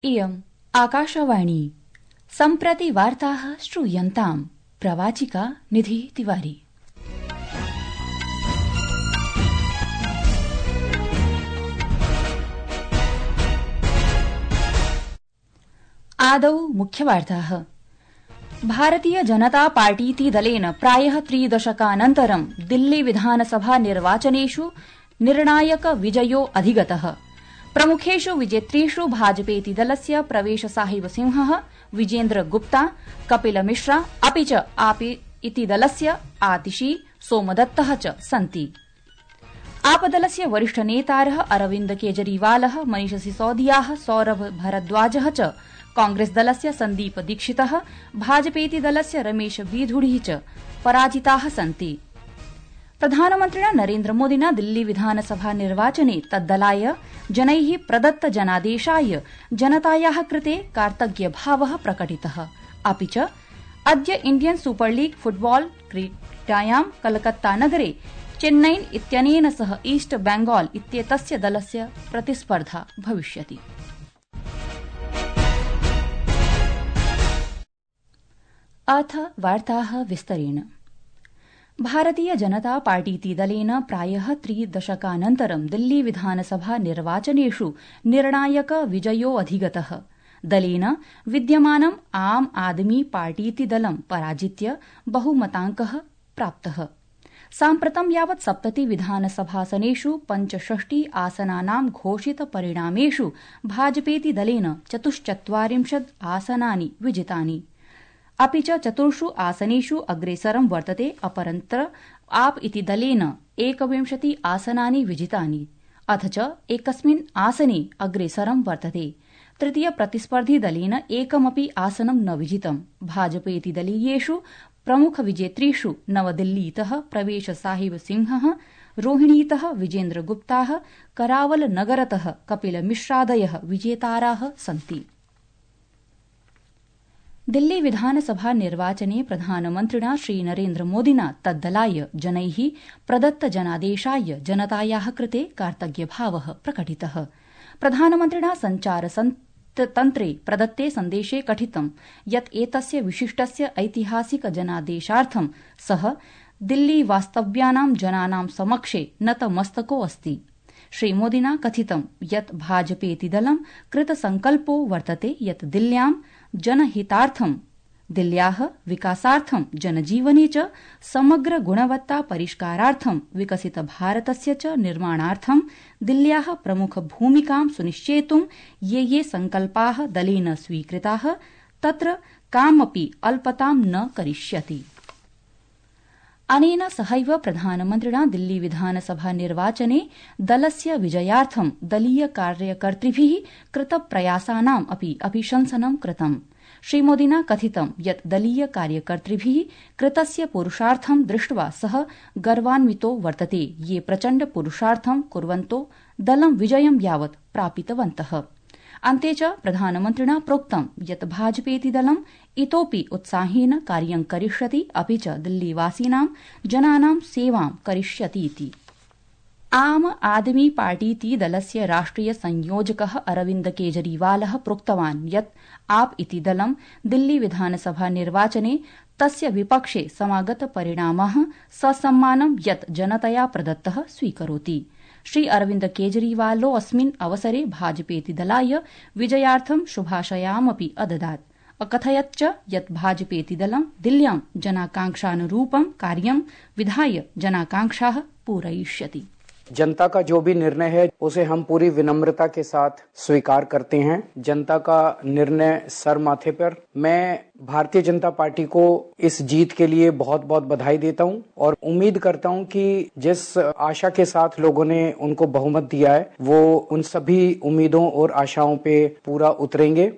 इयम् आकाशवाणी सम्प्रति वार्ताः श्रूयन्ताम्। प्रवाचिका निधि तिवारी। आदौ मुख्यवार्ताः। भारतीय जनता पार्टीति दलेन प्रायः 3 दशकानन्तरं दिल्ली विधानसभा निर्वाचनेषु निर्णायक विजयो अधिगतः। प्रमुखेषु विजेतृषु भाजपेति दलस्य प्रवेश साहिब सिंहः, विजेन्द्र गुप्ता, कपिल मिश्रा अपि च आप इति दलस्य आतिशी सोमदत्तः च सन्ति। आपदलस्य वरिष्ठ नेतारः अरविन्द केजरीवालः, मनीष सिसोदियाः, सौरभ भारद्वाजः च, कांग्रेस दलस्य सन्दीप दीक्षितः, भाजपेति दलस्य रमेश बीधुड़ी च पराजिताः सन्ति। प्रधानमन्त्रिणा नरेन्द्र मोदिना दिल्ली विधानसभा निर्वाचने तद्दलाय जनैः प्रदत्त जनादेशाय जनतायाः कृते कार्तज्ञभावः प्रकटितः। अपि च अद्य इण्डियन सुपर लीग फुटबॉल क्रीडायां कलकत्ता नगरे चेन्नई इत्यनेन सह ईस्ट बेंगाल इत्येतस्य दलस्य प्रतिस्पर्धा भविष्यति। अथ वार्ताः विस्तरेण। भारतीय जनता पार्टीति दलेन प्रायः 3 दशकानन्तरं दिल्ली विधानसभा निर्वाचनेषु निर्णायक विजयो अधिगतः। दलेन विद्यमानम् आम आदमी पार्टीति दलं पराजित्य बहुमताङ्कः प्राप्तः। साम्प्रतं यावत् 70 विधानसभासनेषु 65 आसनानां घोषित परिणामेषु भाजपेति दलेन 44 आसनानि विजितानि। अपि च 4 आसनेषु अग्रेसरं वर्तते। अपरत्र आप इति दलेन 21 आसनानि विजितानि, अथ च एकस्मिन् आसने अग्रेसरं वर्तते। तृतीय प्रतिस्पर्धी दलेन एकमपि आसनं न विजितम्। भाजपेति दलीयेषु प्रमुख विजेतृषु नवदिल्लीतः प्रवेश साहिब सिंहः, रोहिणीतः विजेन्द्र गुप्ताः, करावल नगरतः कपिल मिश्रादयः विजेताराः सन्ति। दिल्ली विधानसभा निर्वाचने प्रधानमन्त्रिणा श्रीनरेन्द्र मोदिना तद्दलाय जनैः प्रदत्त जनादेशाय जनतायाः कृते कार्तज्ञभावः प्रकटितः। प्रधानमन्त्रिणा सञ्चारतन्त्रे प्रदत्ते सन्देशे कथितं यत् एतस्य विशिष्टस्य ऐतिहासिक जनादेशार्थं सः दिल्ली वास्तव्यानां जनानां समक्षे नतमस्तको अस्ति। श्रीमोदिना कथितं यत् भाजपेति दलं कृतसंकल्पो वर्तते यत् दिल्ल्यां जनहितार्थं, दिल्ल्याः विकासार्थं, जनजीवने च समग्र गुणवत्ता परिष्कारार्थं, विकसित भारतस्य च निर्माणार्थं दिल्ल्याः प्रमुख भूमिकां सुनिश्चेतुं ये संकल्पाः दलेन स्वीकृताः तत्र कामपि अल्पतां न करिष्यति। अनेन सहैव प्रधानमन्त्रिणा दिल्ली विधानसभा निर्वाचने दलस्य विजयार्थं दलीय कार्यकर्तृभिः कृतप्रयासानाम् अपि अभिशंसनं कृतम्। श्रीमोदिना कथितं यत् दलीय कार्यकर्तृभिः कृतस्य पुरुषार्थं दृष्ट्वा सः गर्वान्वितो वर्तते, ये प्रचण्ड पुरुषार्थं कुर्वन्तो दलं विजयं यावत् प्रापितवन्तः। अन्ते च प्रधानमन्त्रिणा प्रोक्तं यत् भाजपेति दलं इतोपि उत्साहेन कार्यं करिष्यति, अपि च दिल्लीवासीनां जनानां सेवां करिष्यतीति। आम आदमी पार्टीति दलस्य राष्ट्रिय संयोजकः अरविन्द केजरीवालः प्रोक्तवान् यत् आप इति दलं दिल्ली विधानसभा निर्वाचने तस्य विपक्षे समागत परिणामः ससम्मानं यत् जनतया प्रदत्तः स्वीकरोति। श्री अरविन्द केजरीवालो अस्मिन् अवसरे भाजपेति दलाय विजयार्थं शुभाशयामपि अददात्। अकथयत् च यत् भाजपेति दलं दिल्ल्यां जनाकांक्षानुरूपं कार्यं विधाय जनाकांक्षाः पूरयिष्यति। जनता का जो भी निर्णय है उसे हम पूरी विनम्रता के साथ स्वीकार करते हैं। जनता का निर्णय सर माथे पर। मैं भारतीय जनता पार्टी को इस जीत के लिए बहुत बहुत बधाई देता हूं और उम्मीद करता हूं कि जिस आशा के साथ लोगों ने उनको बहुमत दिया है वो उन सभी उम्मीदों और आशाओं पे पूरा उतरेंगे।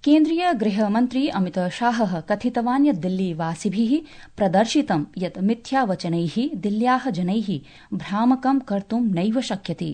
केन्द्रीय गृहमन्त्री अमित शाहः कथितवान् यत् दिल्लीवासिभिः प्रदर्शितं यत् मिथ्यावचनैः दिल्ल्याः जनैः भ्रामकं कर्तुं नैव शक्यते।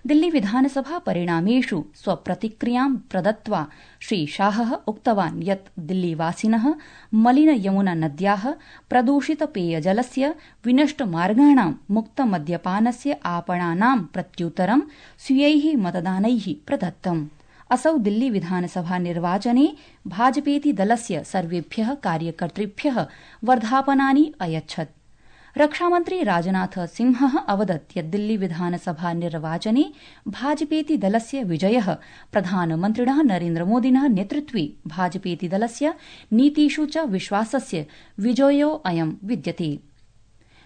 दिल्ली विधानसभा परिणामेषु स्वप्रतिक्रियां प्रदत्त्वा श्री शाहः उक्तवान् यत् दिल्लीवासिनः मलिन यमुना नद्याः, प्रदूषित पेयजलस्य, विनष्ट मार्गाणां, मुक्त मद्यपानस्य आपणानां प्रत्युत्तरं स्वीयैः मतदानैः प्रदत्तम्। असौ दिल्ली विधानसभा निर्वाचने भाजपेति दलस्य सर्वेभ्यः कार्यकर्तृभ्यः वर्धापनानि अयच्छत्। रक्षामन्त्री राजनाथ सिंहः अवदत् यत् दिल्ली विधानसभा निर्वाचने भाजपेति दलस्य विजयः प्रधानमन्त्रिणः नरेन्द्रमोदिनः नेतृत्वे भाजपेति दलस्य नीतिषु च विश्वासस्य विजयोऽयं विद्यते।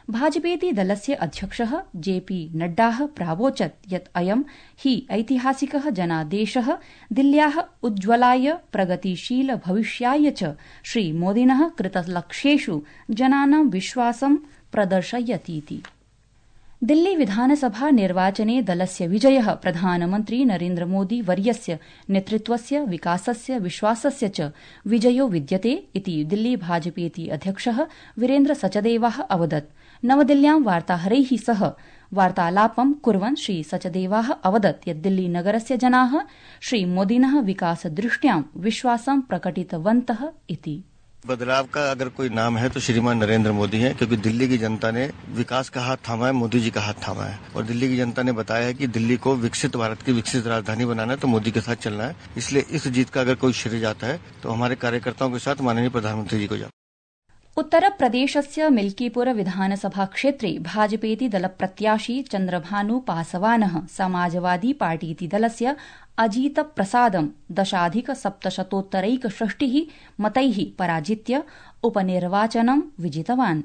भाजपेति दलस्य अध्यक्षः जेपी नड्डाः प्रावोचत् यत् अयं हि ऐतिहासिकः जनादेशः दिल्ल्याः उज्ज्वलाय प्रगतिशील भविष्याय च श्रीमोदिनः कृतलक्ष्येषु जनानां विश्वासं प्रदर्शयतीति। दिल्ली विधानसभा निर्वाचने दलस्य विजयः प्रधानमन्त्री नरेन्द्रमोदी वर्यस्य नेतृत्वस्य विकासस्य विश्वासस्य च विजयो विद्यते इति दिल्ली भाजपेति अध्यक्षः वीरेन्द्र सचदेवः अवदत्। नवदिल्ल्यां वार्ताहरैः सह वार्तालापं कुर्वन् श्री सचदेवः अवदत् यत् दिल्ली नगरस्य जनाः श्रीमोदिनः विकासदृष्ट्यां विश्वासं प्रकटितवन्तः इति। बदलाव का अगर कोई नाम है तो श्रीमान नरेंद्र मोदी हैं, क्योंकि दिल्ली की जनता ने विकास का हाथ थामा है, मोदी जी का हाथ थामा है और दिल्ली की जनता ने बताया है कि दिल्ली को विकसित भारत की विकसित राजधानी बनाना है तो मोदी के साथ चलना है। इसलिए इस जीत का अगर कोई श्रेय जाता है तो हमारे कार्यकर्ताओं के साथ माननीय प्रधानमंत्री जी को जाता है। उत्तरप्रदेशस्य मिल्कीपुर विधानसभा क्षेत्रे भाजपेति दलप्रत्याशी चन्द्रभानु पासवानः समाजवादी पार्टीति दलस्य अजीत प्रसादं 10,760 मतैः पराजित्य उपनिर्वाचनं विजितवान्।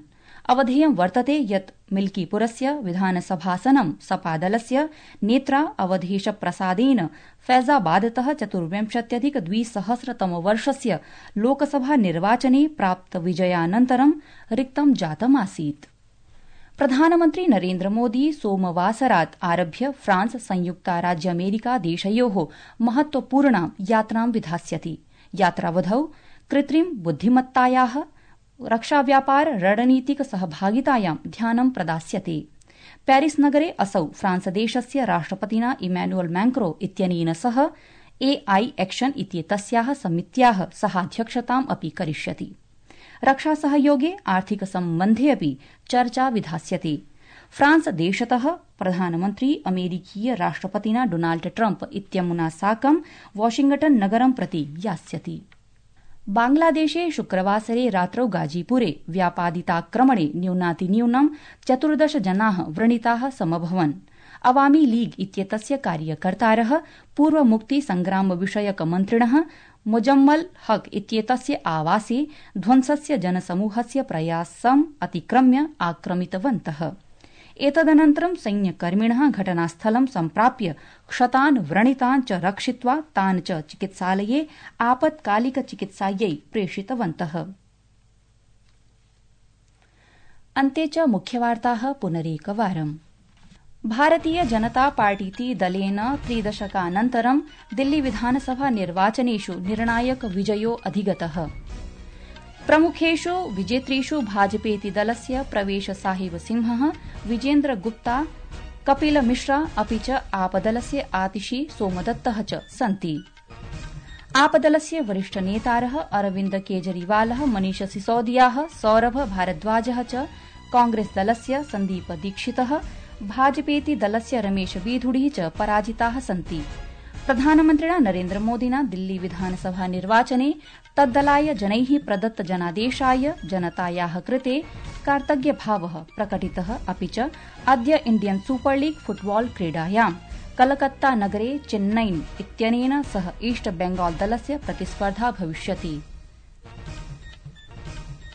अवधेयं वर्तते यत् मिल्कीपुरस्य विधानसभासनं सपादलस्य नेत्रा अवधेश प्रसादेन फैजाबादतः 24,200 लोकसभा निर्वाचने प्राप्त विजयानन्तरं रिक्तं जातमासीत्। प्रधानमन्त्री नरेन्द्रमोदी सोमवासरात् आरभ्य फ्रांस संयुक्ताराज्यामेरिका देशयोः महत्वपूर्णां यात्रां विधास्यति। यात्रावधौ कृत्रिम बुद्धिमत्तायाः रक्षाव्यापार रणनीतिक सहभागितायां ध्यानं प्रदास्यते। पेरिस नगरे असौ फ्रांसदेशस्य राष्ट्रपतिना इमैनुअल मैक्रो इत्यनेन सह AI एक्शन इत्येतस्याः समित्याः सहाध्यक्षताम् अपि करिष्यति। रक्षासहयोगे आर्थिक सम्बन्धे अपि चर्चा विधास्यते। फ्रांस देशतः प्रधानमन्त्री अमेरिकीय राष्ट्रपतिना डोनाल्ड ट्रम्प इत्यमुना साकं वाशिंगटन नगरं प्रति यास्यति। बांग्लादेशे शुक्रवासरे रात्रौ गाजीपुरे व्यापादिताक्रमणे न्यूनातिन्यूनं 14 जनाः व्रणिताः समभवन्। अवामी लीग इत्येतस्य कार्यकर्तारः पूर्वमुक्ति संग्राम विषयक मन्त्रिणः मुजम्मल हक इत्येतस्य आवासे ध्वंसस्य जनसमूहस्य प्रयासम् अतिक्रम्य आक्रमितवन्तः। एतदनन्तरं सैन्यकर्मिणः घटनास्थलं सम्प्राप्य क्षतान् व्रणितान् च रक्षित्वा तान् च चिकित्सालये आपत्कालिक चिकित्सायै प्रेषितवन्तः। अन्ते च मुख्यवार्ताः पुनरेकवारम्। भारतीय जनता पार्टीति दलेन 3 दशकानन्तरं दिल्ली विधानसभा निर्वाचनेषु निर्णायक विजयो अधिगतः। प्रमुखेषु विजेतृषु भाजपेति दलस्य प्रवेश साहिब सिंहः, विजेन्द्र गुप्ता, कपिल मिश्रा अपि च आपदलस्य आतिशी सोमदत्तः च सन्ति। आपदलस्य वरिष्ठ नेतारः अरविन्द केजरीवालः, मनीष सिसोदियाः, सौरभ भारद्वाजः च, कांग्रेस दलस्य सन्दीप दीक्षितः, भाजपेति दलस्य रमेश बीधुड़ी च पराजिताः सन्ति। प्रधानमन्त्रिणा नरेन्द्रमोदिना दिल्ली विधानसभा निर्वाचने तद्दलाय जनैः प्रदत्त जनादेशाय जनतायाः कृते कार्तज्ञभावः प्रकटितः। अपि च अद्य इण्डियन सुपर लीग फुटबॉल क्रीडायां कलकत्ता नगरे चेन्नईन इत्यनेन सह ईस्ट बेंगाल दलस्य प्रतिस्पर्धा भविष्यति।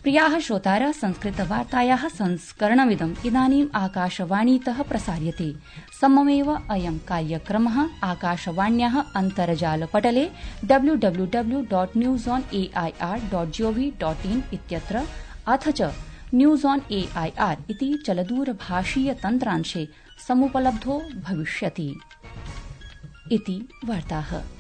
प्रियाः श्रोतारः, संस्कृतवार्तायाः संस्करणमिदम् इदानीम् आकाशवाणीतः प्रसार्यते। सममेव अयं कार्यक्रमः आकाशवाण्याः अन्तर्जालपटले www.newsonair.gov.in इत्यत्र अथ च न्यूज ऑन AIR इति चलदूरभाषीय तन्त्रांशे समुपलब्धो भविष्यति। इति वार्ताः।